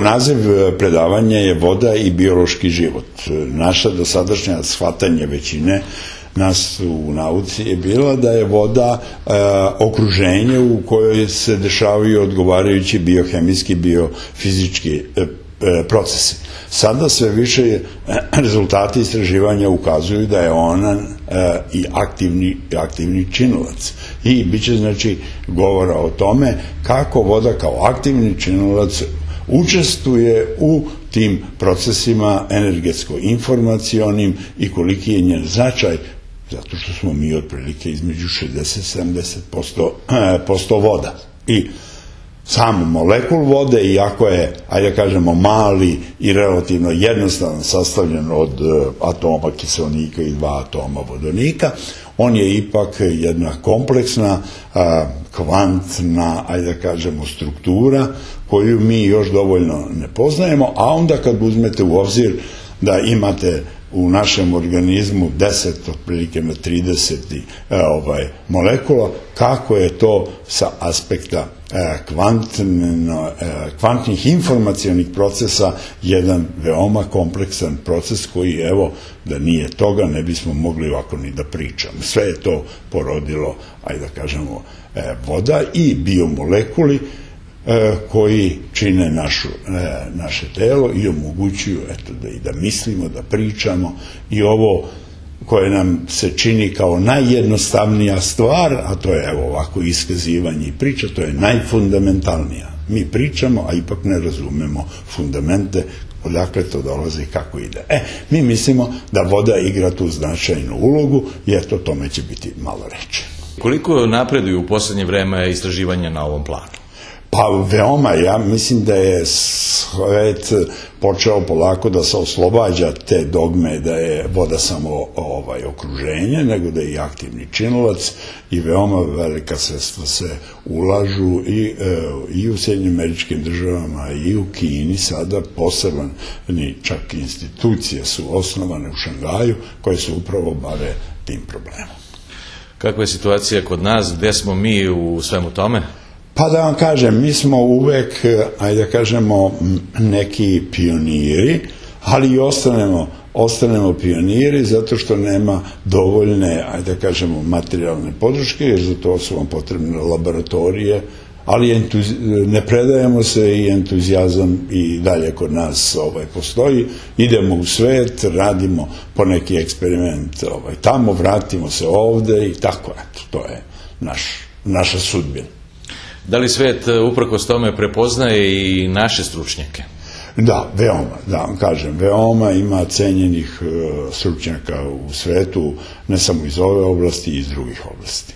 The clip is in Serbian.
naziv predavanja je Voda i biološki život. Naša dosadašnja shvatanje većine nas u nauci je bila da je voda okruženje u kojoj se dešavaju odgovarajući biohemijski, biofizički procesi. Sada sve više rezultati istraživanja ukazuju da je ona i aktivni činilac. I bit će znači govora o tome kako voda kao aktivni činilac učestvuje u tim procesima energetsko-informacionim i koliki je njen značaj, zato što smo mi otprilike između 60-70% voda. I sam molekul vode, iako je, ajde kažemo, mali i relativno jednostavno sastavljen od atoma kiselnika i 2 atoma vodonika, on je ipak jedna kompleksna, kvantna, ajde kažemo, struktura koju mi još dovoljno ne poznajemo, a onda kad uzmete u obzir da imate u našem organizmu 10 otprilike na 30 molekula, kako je to sa aspekta kvantnih informacionih procesa jedan veoma kompleksan proces koji, evo, da nije toga ne bismo mogli ovako ni da pričamo. Sve je to porodilo, ajde da kažemo, voda i biomolekuli koji čine naše telo i omogućuju da mislimo, da pričamo, i ovo koje nam se čini kao najjednostavnija stvar, a to je evo ovako iskazivanje i priča, to je najfundamentalnija. Mi pričamo, a ipak ne razumemo fundamente, odakle to dolazi i kako ide. Mi mislimo da voda igra tu značajnu ulogu i eto, tome će biti malo reči. Koliko napreduju u poslednje vreme istraživanja na ovom planu? Pa veoma, ja mislim da je svet počeo polako da se oslobađa te dogme da je voda samo okruženje, nego da je i aktivni činilac, i veoma velika sredstva se ulažu i u Sjedinjenim Američkim Državama i u Kini. Sada posebne čak institucije su osnovane u Šangaju koje se upravo bave tim problemom. Kakva je situacija kod nas? Gde smo mi u svemu tome? Pa da vam kažem, mi smo uvek, ajde da kažemo, neki pioniri, ali i ostanemo pioniri zato što nema dovoljne, ajde da kažemo, materijalne podrške, jer za to su vam potrebne laboratorije, ali ne predajemo se i entuzijazam i dalje kod nas postoji. Idemo u svet, radimo po neki eksperiment tamo, vratimo se ovde i tako, eto, to je naša sudbina. Da li svet uprkos tome prepoznaje i naše stručnjake? Da, veoma, da vam kažem, veoma ima cenjenih stručnjaka u svetu, ne samo iz ove oblasti, i iz drugih oblasti.